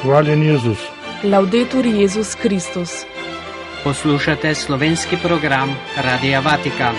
Hvaljen Jezus. Laudetur Jezus Kristus. Poslušate slovenski program Radia Vatikan.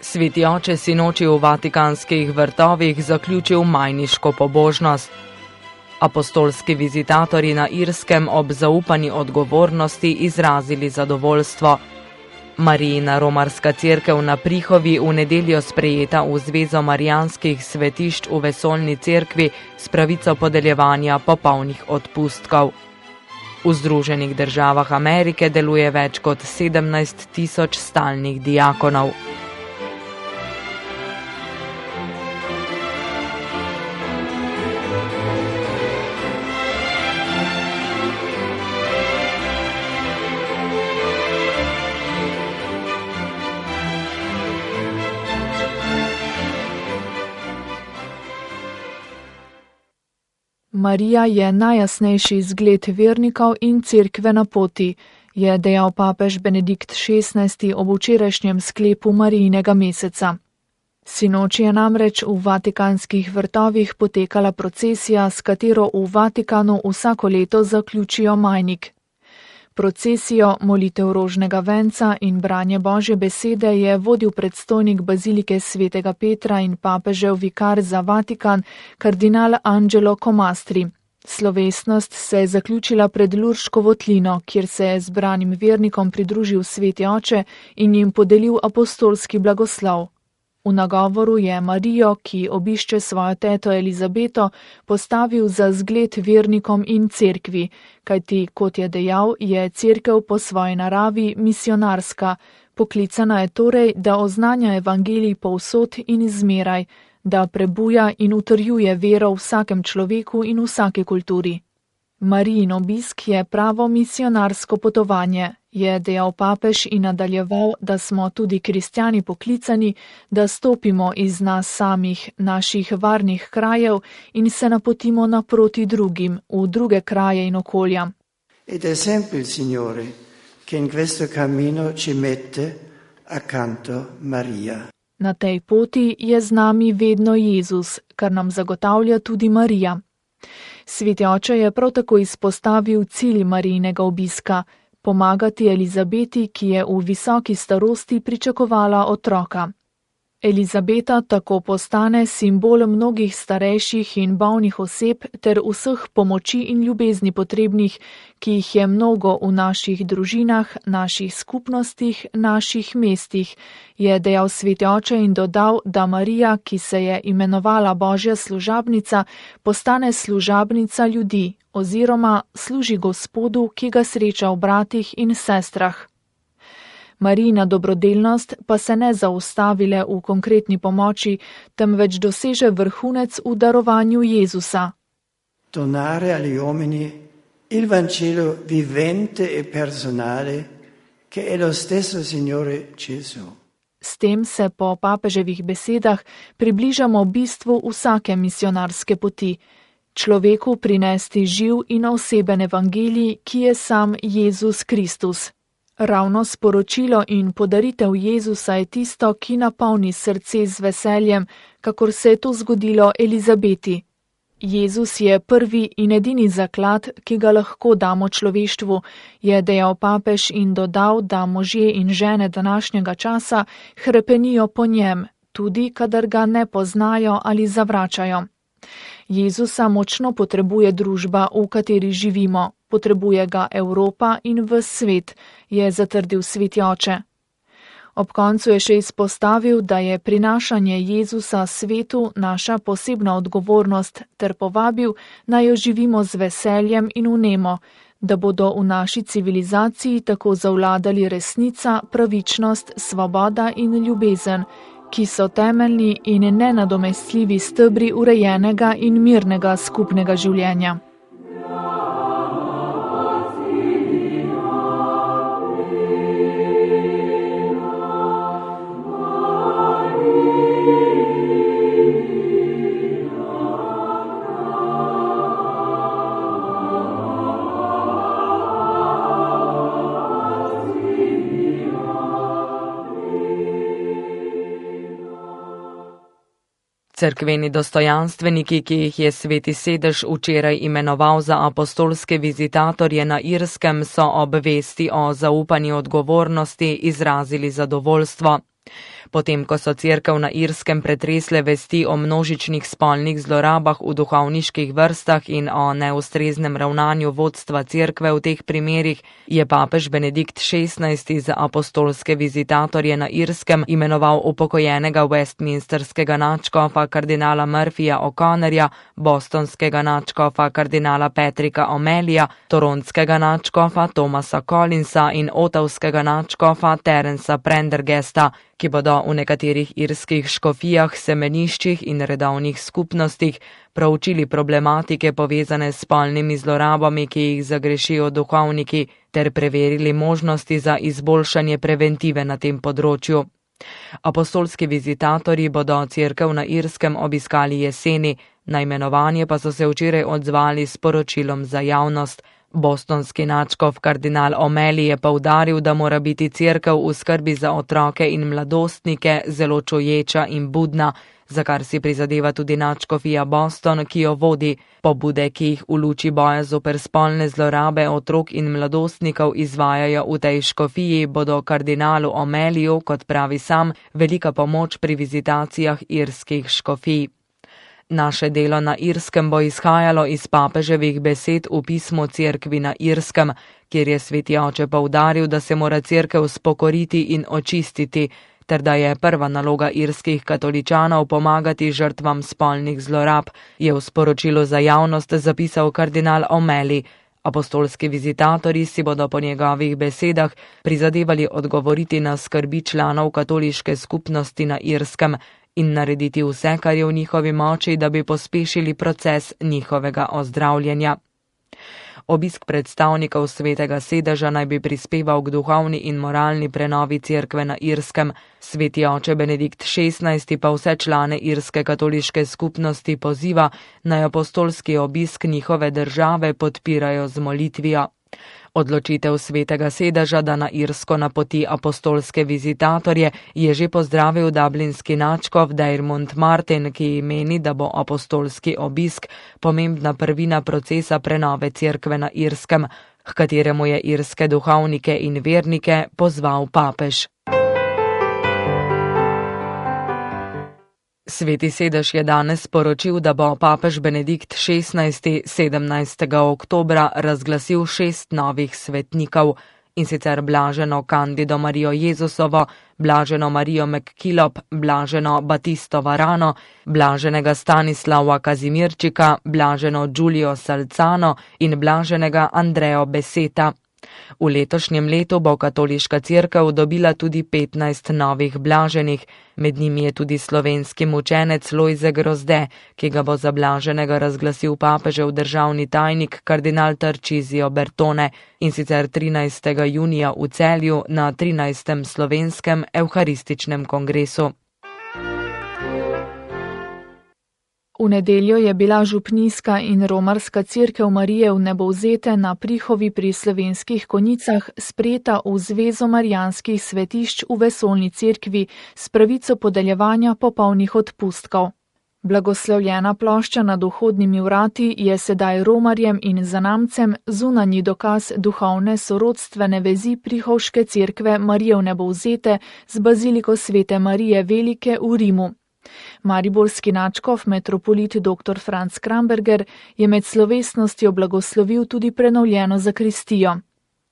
Sveti oče sinoči v vatikanskih vrtovih zaključil majniško pobožnost. Apostolski vizitatorji na Irskem ob zaupani odgovornosti izrazili zadovoljstvo. Marijina romarska cerkev na Prihovi v nedeljo sprejeta v Zvezo marijanskih svetišč v vesoljni cerkvi s pravico podeljevanja popolnih odpustkov. V Združenih državah Amerike deluje več kot 17.000 stalnih diakonov. Marija je najjasnejši zgled vernikov in cerkve na poti, je dejal papež Benedikt XVI ob včerajšnjem sklepu Marijinega meseca. Sinoči je namreč v vatikanskih vrtovih potekala procesija, s katero v Vatikanu vsako leto zaključijo majnik. Procesijo, molitev rožnega venca in branje Božje besede je vodil predstojnik bazilike svetega Petra in papežev vikar za Vatikan, kardinal Angelo Comastri. Slovesnost se je zaključila pred Lurško votlino, kjer se je zbranim vernikom pridružil sveti oče in jim podelil apostolski blagoslov. V nagovoru je Marijo, ki obišče svojo teto Elizabeto, postavil za zgled vernikom in cerkvi, kajti, kot je dejal, je cerkev po svoji naravi misionarska, poklicana je torej, da oznanja evangelij povsod in zmeraj, da prebuja in utrjuje vero v vsakem človeku in vsaki kulturi. Marijin obisk je pravo misionarsko potovanje, je dejal papež in nadaljeval, da smo tudi kristjani poklicani, da stopimo iz nas samih, naših varnih krajev in se napotimo naproti drugim, v druge kraje in okolja. Ed è sempre il Signore che in questo cammino ci mette accanto Maria. Na tej poti je z nami vedno Jezus, kar nam zagotavlja tudi Marija. Sveti oče je prav tako izpostavil cilj Marijinega obiska, pomagati Elizabeti, ki je v visoki starosti pričakovala otroka. Elizabeta tako postane simbol mnogih starejših in bolnih oseb ter vseh pomoči in ljubezni potrebnih, ki jih je mnogo v naših družinah, naših skupnostih, naših mestih, je dejal sveti oče in dodal, da Marija, ki se je imenovala Božja služabnica, postane služabnica ljudi oziroma služi Gospodu, ki ga sreča v bratih in sestrah. Marijina dobrodelnost pa se ne zaustavile v konkretni pomoči, temveč doseže vrhunec v darovanju Jezusa. Donare agli uomini il Vangelo vivente e personale che è lo stesso Signore Gesù. S tem se po papeževih besedah približamo bistvu vsake misionarske poti, človeku prinesti živ in oseben evangelij, ki je sam Jezus Kristus. Ravno sporočilo in podaritev Jezusa je tisto, ki napolni srce z veseljem, kakor se je to zgodilo Elizabeti. Jezus je prvi in edini zaklad, ki ga lahko damo človeštvu, je dejal papež in dodal, da možje in žene današnjega časa hrepenijo po njem, tudi kadar ga ne poznajo ali zavračajo. Jezusa močno potrebuje družba, v kateri živimo, potrebuje ga Evropa in ves svet, je zatrdil sveti oče. Ob koncu je še izpostavil, da je prinašanje Jezusa svetu naša posebna odgovornost ter povabil, naj jo živimo z veseljem in vnemo, da bodo v naši civilizaciji tako zavladali resnica, pravičnost, svoboda in ljubezen, ki so temeljni in nenadomestljivi stebri urejenega in mirnega skupnega življenja. Cerkveni dostojanstveniki, ki jih je Sveti sedež včeraj imenoval za apostolske vizitatorje na Irskem, so ob vesti o zaupani odgovornosti izrazili zadovoljstvo. Potem, ko so Cerkev na Irskem pretresle vesti o množičnih spolnih zlorabah v duhovniških vrstah in o neustreznem ravnanju vodstva Cerkve v teh primerih, je papež Benedikt XVI za apostolske vizitatorje na Irskem imenoval upokojenega westminsterskega nadškofa kardinala Murphyja O'Connorja, bostonskega nadškofa kardinala Patricka O'Malleyja, toronskega nadškofa Thomasa Collinsa in otavskega nadškofa Terensa Prendergasta, ki bodo v nekaterih irskih škofijah, semeniščih in redovnih skupnostih proučili problematike povezane s spolnimi zlorabami, ki jih zagrešijo duhovniki, ter preverili možnosti za izboljšanje preventive na tem področju. Apostolski vizitatorji bodo Cerkev na Irskem obiskali jeseni, na imenovanje pa so se včeraj odzvali s poročilom za javnost. Bostonski nadškof kardinal O'Malley je poudaril, da mora biti Cerkev v skrbi za otroke in mladostnike zelo čuječa in budna, za kar si prizadeva tudi nadškofija Boston, ki jo vodi. Pobude, ki jih v luči boja zoper spolne zlorabe otrok in mladostnikov izvajajo v tej škofiji, bodo kardinalu O'Malleyju, kot pravi sam, velika pomoč pri vizitacijah irskih škofij. Naše delo na Irskem bo izhajalo iz papeževih besed v pismu Cerkvi na Irskem, kjer je Sveti oče poudaril, da se mora Cerkev spokoriti in očistiti, ter da je prva naloga irskih katoličanov pomagati žrtvam spolnih zlorab, je v sporočilu za javnost zapisal kardinal O'Malley. Apostolski vizitatorji si bodo po njegovih besedah prizadevali odgovoriti na skrbi članov katoliške skupnosti na Irskem in narediti vse, kar je v njihovi moči, da bi pospešili proces njihovega ozdravljenja. Obisk predstavnikov Svetega sedeža naj bi prispeval k duhovni in moralni prenovi Cerkve na Irskem. Sveti oče Benedikt XVI pa vse člane irske katoliške skupnosti poziva, naj apostolski obisk njihove države podpirajo z molitvijo. Odločitev Svetega sedeža, da na Irsko napoti apostolske vizitatorje, je že pozdravil dublinski nadškof Diarmuid Martin, ki meni, da bo apostolski obisk pomembna prvina procesa prenove Cerkve na Irskem, h kateremu je irske duhovnike in vernike pozval papež. Sveti sedež je danes sporočil, da bo papež Benedikt XVI 17. oktobra razglasil 6 novih svetnikov, in sicer blaženo Candido Marijo Jezusovo, blaženo Marijo McKillop, blaženo Batisto Varano, blaženega Stanislava Kazimirčika, blaženo Giulio Salzano in blaženega Andreo Beseta. V letošnjem letu bo katoliška cerkev dobila tudi 15 novih blaženih, med njimi je tudi slovenski mučenec Lojze Grozde, ki ga bo za blaženega razglasil papežev državni tajnik kardinal Tarcisio Bertone, in sicer 13. junija v Celju na 13. slovenskem evharističnem kongresu. V nedeljo je bila župnijska in romarska cerkev Marije v Nebovzete na Prihovi pri Slovenskih Konjicah sprejeta v Zvezo marijanskih svetišč v vesoljni cerkvi s pravico podeljevanja popolnih odpustkov. Blagoslovljena plošča nad vhodnimi vrati je sedaj romarjem in zanamcem zunanji dokaz duhovne sorodstvene vezi Prihovške cerkve Marije v Nebovzete z baziliko Svete Marije Velike v Rimu. Mariborski nadškof metropolit dr. Franc Kramberger je med slovesnostjo blagoslovil tudi prenovljeno zakristijo.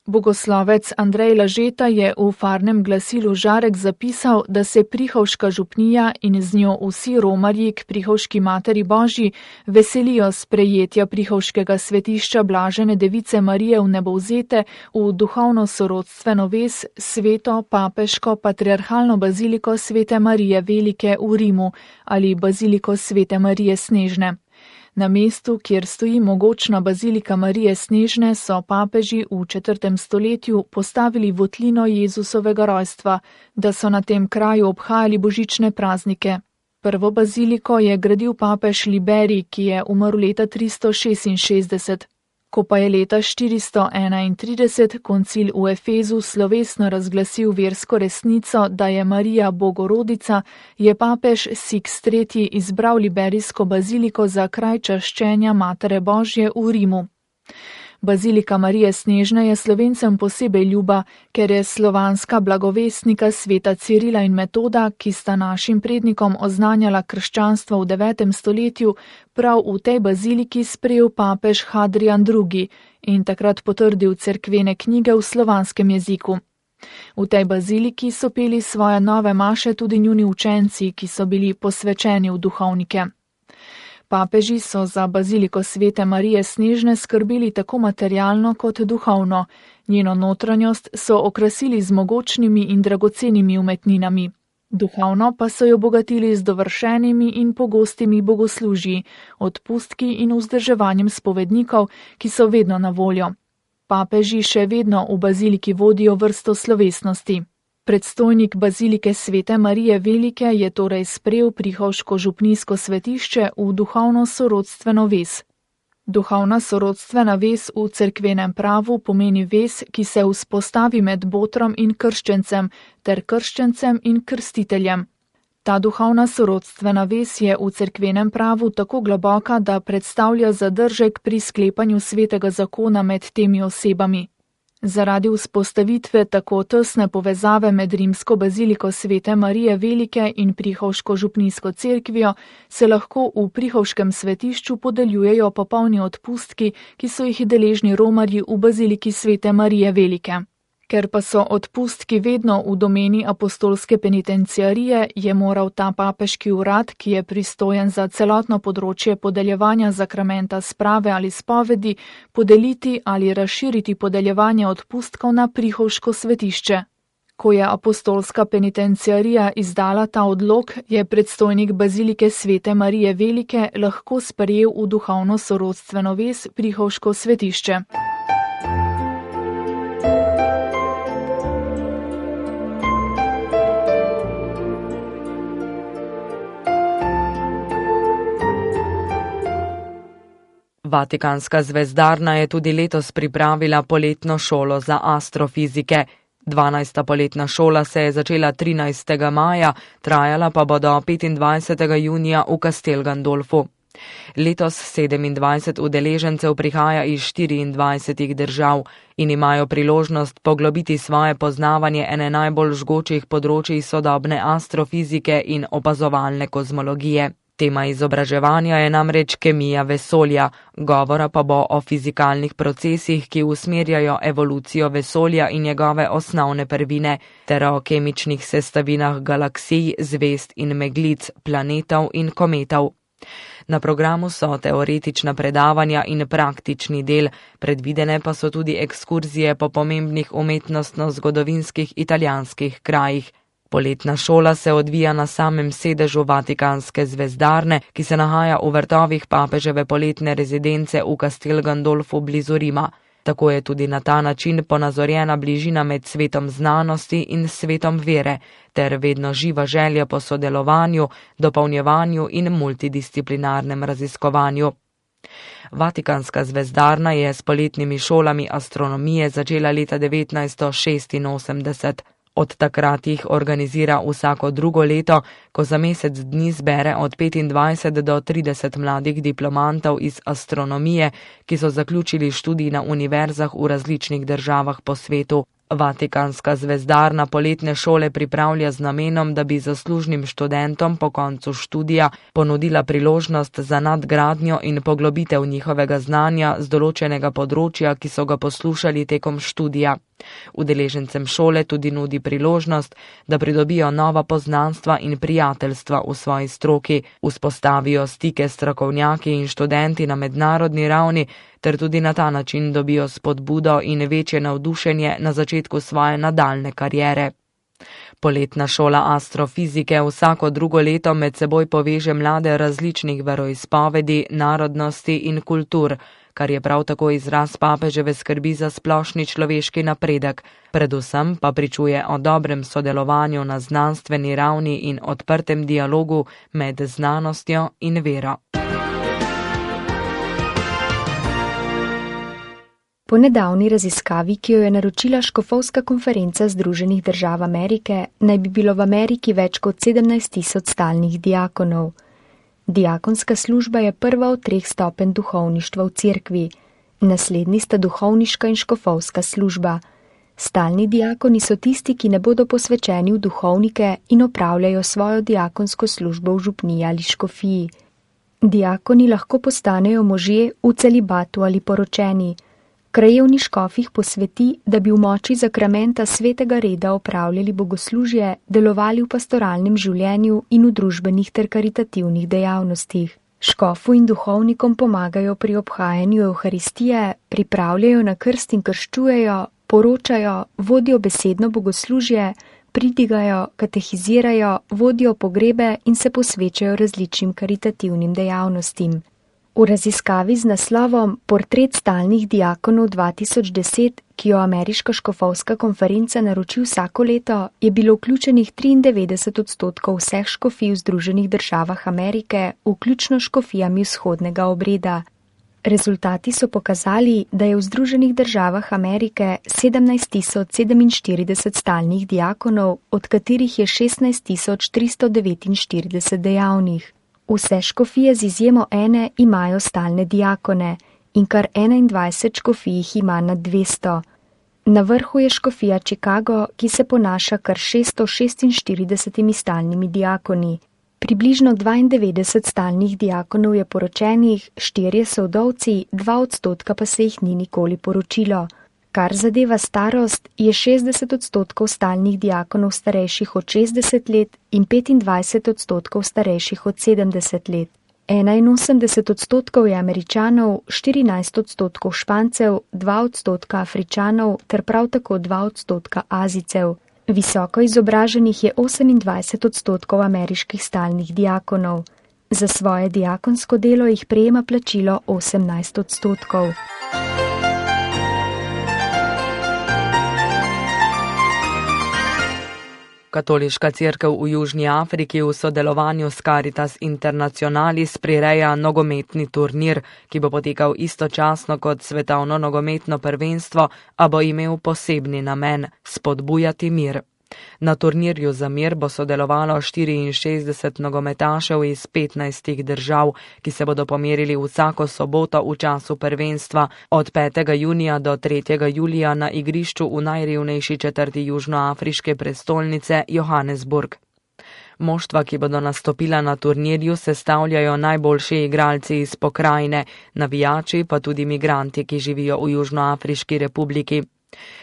Bogoslovec Andrej Lažeta je v farnem glasilu Žarek zapisal, da se Prihovška župnija in z njo vsi romarji k Prihovški materi Božji veselijo sprejetja Prihovškega svetišča blažene device Marije v Nebovzete v duhovno sorodstveno vez sveto papeško patriarhalno baziliko Svete Marije Velike v Rimu ali baziliko Svete Marije Snežne. Na mestu, kjer stoji mogočna bazilika Marije Snežne, so papeži v 4. stoletju postavili votlino Jezusovega rojstva, da so na tem kraju obhajali božične praznike. Prvo baziliko je gradil papež Liberij, ki je umrl leta 366. Ko pa je leta 431 koncil v Efezu slovesno razglasil versko resnico, da je Marija Bogorodica, je papež Sixt III. Izbral liberijsko baziliko za kraj čaščenja Matere Božje v Rimu. Bazilika Marije Snežne je Slovencem posebej ljuba, ker je slovanska blagovestnika sveta Cirila in Metoda, ki sta našim prednikom oznanjala krščanstvo v 9. stoletju, prav v tej baziliki sprejel papež Hadrian II. In takrat potrdil cerkvene knjige v slovanskem jeziku. V tej baziliki so peli svoje nove maše tudi njuni učenci, ki so bili posvečeni v duhovnike. Papeži so za baziliko svete Marije Snežne skrbeli tako materialno kot duhovno. Njeno notranjost so okrasili z mogočnimi in dragocenimi umetninami. Duhovno pa so jo obogatili z dovršenimi in pogostimi bogoslužji, odpustki in vzdrževanjem spovednikov, ki so vedno na voljo. Papeži še vedno v baziliki vodijo vrsto slovesnosti. Predstojnik bazilike svete Marije Velike je torej sprejel prihovško župnijsko svetišče v duhovno sorodstveno vez. Duhovna sorodstvena vez v cerkvenem pravu pomeni vez, ki se vzpostavi med botrom in krščencem ter krščencem in krstiteljem. Ta duhovna sorodstvena vez je v cerkvenem pravu tako globoka, da predstavlja zadržek pri sklepanju svetega zakona med temi osebami. Zaradi vzpostavitve tako tesne povezave med rimsko baziliko svete Marije Velike in prihovško župnijsko cerkvijo se lahko v prihovškem svetišču podeljujejo popolni odpustki, ki so jih deležni romarji v baziliki svete Marije Velike. Ker pa so odpustki vedno v domeni apostolske penitenciarije, je moral ta papeški urad, ki je pristojen za celotno področje podeljevanja zakramenta sprave ali spovedi, podeliti ali razširiti podeljevanje odpustkov na prihovško svetišče. Ko je apostolska penitenciarija izdala ta odlok, je predstojnik bazilike svete Marije Velike lahko sprejel v duhovno sorodstveno vez prihovško svetišče. Vatikanska zvezdarna je tudi letos pripravila poletno šolo za astrofizike. 12. poletna šola se je začela 13. maja, trajala pa bo do 25. junija v Castel Gandolfu. Letos 27 udeležencev prihaja iz 24 držav in imajo priložnost poglobiti svoje poznavanje ene najbolj žgočih področij sodobne astrofizike in opazovalne kozmologije. Tema izobraževanja je namreč kemija vesolja, govora pa bo o fizikalnih procesih, ki usmerjajo evolucijo vesolja in njegove osnovne prvine, ter o kemičnih sestavinah galaksij, zvezd in meglic, planetov in kometov. Na programu so teoretična predavanja in praktični del, predvidene pa so tudi ekskurzije po pomembnih umetnostno-zgodovinskih italijanskih krajih. Poletna šola se odvija na samem sedežu Vatikanske zvezdarne, ki se nahaja v vrtovih papeževe poletne rezidence v Castel Gandolfu blizu Rima. Tako je tudi na ta način ponazorjena bližina med svetom znanosti in svetom vere, ter vedno živa želja po sodelovanju, dopolnjevanju in multidisciplinarnem raziskovanju. Vatikanska zvezdarna je s poletnimi šolami astronomije začela leta 1986. Od takrat jih organizira vsako drugo leto, ko za mesec dni zbere od 25 do 30 mladih diplomantov iz astronomije, ki so zaključili študij na univerzah v različnih državah po svetu. Vatikanska zvezdarna poletne šole pripravlja z namenom, da bi zaslužnim študentom po koncu študija ponudila priložnost za nadgradnjo in poglobitev njihovega znanja z določenega področja, ki so ga poslušali tekom študija. Udeležencem šole tudi nudi priložnost, da pridobijo nova poznanstva in prijateljstva v svoji stroki, vzpostavijo stike s strokovnjaki in študenti na mednarodni ravni, ter tudi na ta način dobijo spodbudo in večje navdušenje na začetku svoje nadaljne kariere. Poletna šola astrofizike vsako drugo leto med seboj poveže mlade različnih veroizpovedi, narodnosti in kultur, kar je prav tako izraz papeževe skrbi za splošni človeški napredek, predvsem pa pričuje o dobrem sodelovanju na znanstveni ravni in odprtem dialogu med znanostjo in vero. Po nedavni raziskavi, ki jo je naročila Škofovska konferenca Združenih držav Amerike, naj bi bilo v Ameriki več kot 17.000 stalnih diakonov. Diakonska služba je prva od 3 stopenj duhovništva v cerkvi. Naslednji sta duhovniška in škofovska služba. Stalni diakoni so tisti, ki ne bodo posvečeni v duhovnike in opravljajo svojo diakonsko službo v župniji ali škofiji. Diakoni lahko postanejo možje v celibatu ali poročeni. Krajevni škof jih posveti, da bi v moči zakramenta svetega reda opravljali bogoslužje, delovali v pastoralnem življenju in v družbenih ter karitativnih dejavnostih. Škofu in duhovnikom pomagajo pri obhajanju Evharistije, pripravljajo na krst in krščujejo, poročajo, vodijo besedno bogoslužje, pridigajo, katehizirajo, vodijo pogrebe in se posvečajo različnim karitativnim dejavnostim. V raziskavi z naslovom Portret stalnih diakonov 2010, ki jo Ameriška škofovska konferenca naroči vsako leto, je bilo vključenih 93% vseh škofij v Združenih državah Amerike, vključno škofijami vzhodnega obreda. Rezultati so pokazali, da je v Združenih državah Amerike 17.047 stalnih diakonov, od katerih je 16.349 dejavnih. Vse škofije z izjemo ene imajo stalne diakone in kar 21 škofij jih ima nad 200. Na vrhu je škofija Chicago, ki se ponaša kar 646 stalnimi diakoni. Približno 92 stalnih diakonov je poročenih, 4 so vdovci, 2% pa se jih ni nikoli poročilo. Kar zadeva starost, je 60% stalnih diakonov starejših od 60 let in 25% starejših od 70 let. 81% je Američanov, 14% Špancev, 2% Afričanov ter prav tako 2% Azijcev. Visoko izobraženih je 28% ameriških stalnih diakonov. Za svoje diakonsko delo jih prejema plačilo 18%. Katoliška cerkev v Južni Afriki v sodelovanju s Caritas Internationalis prireja nogometni turnir, ki bo potekal istočasno kot svetovno nogometno prvenstvo, a bo imel posebni namen – spodbujati mir. Na turnirju za mir bo sodelovalo 64 nogometašev iz 15 držav, ki se bodo pomerili vsako soboto v času prvenstva od 5. junija do 3. julija na igrišču v najrevnejši četrti južnoafriške prestolnice Johannesburg. Moštva, ki bodo nastopila na turnirju, sestavljajo najboljši igralci iz pokrajine, navijači pa tudi migranti, ki živijo v Južnoafriški republiki.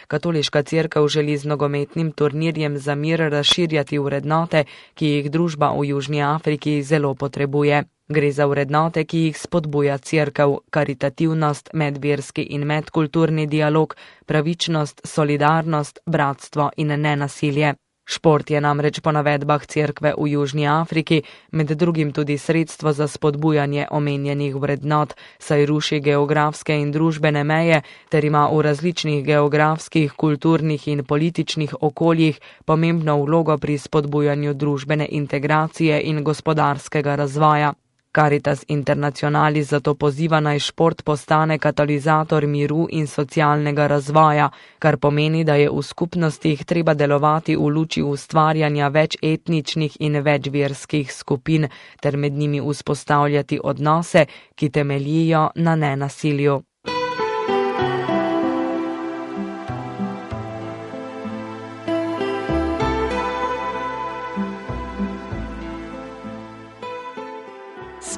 Katoliška cerkev želi z nogometnim turnirjem za mir razširjati vrednote, ki jih družba v Južni Afriki zelo potrebuje. Gre za vrednote, ki jih spodbuja cerkev, karitativnost, medverski in medkulturni dialog, pravičnost, solidarnost, bratstvo in nenasilje. Šport je namreč po navedbah cerkve v Južni Afriki med drugim tudi sredstvo za spodbujanje omenjenih vrednot, saj ruši geografske in družbene meje ter ima v različnih geografskih, kulturnih in političnih okoljih pomembno vlogo pri spodbujanju družbene integracije in gospodarskega razvoja. Caritas Internationalis zato poziva naj šport postane katalizator miru in socialnega razvoja, kar pomeni, da je v skupnostih treba delovati v luči ustvarjanja več etničnih in večverskih skupin ter med njimi vzpostavljati odnose, ki temeljijo na nenasilju.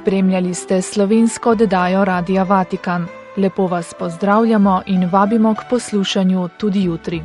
Spremljali ste slovensko oddajo Radia Vatikan. Lepo vas pozdravljamo in vabimo k poslušanju tudi jutri.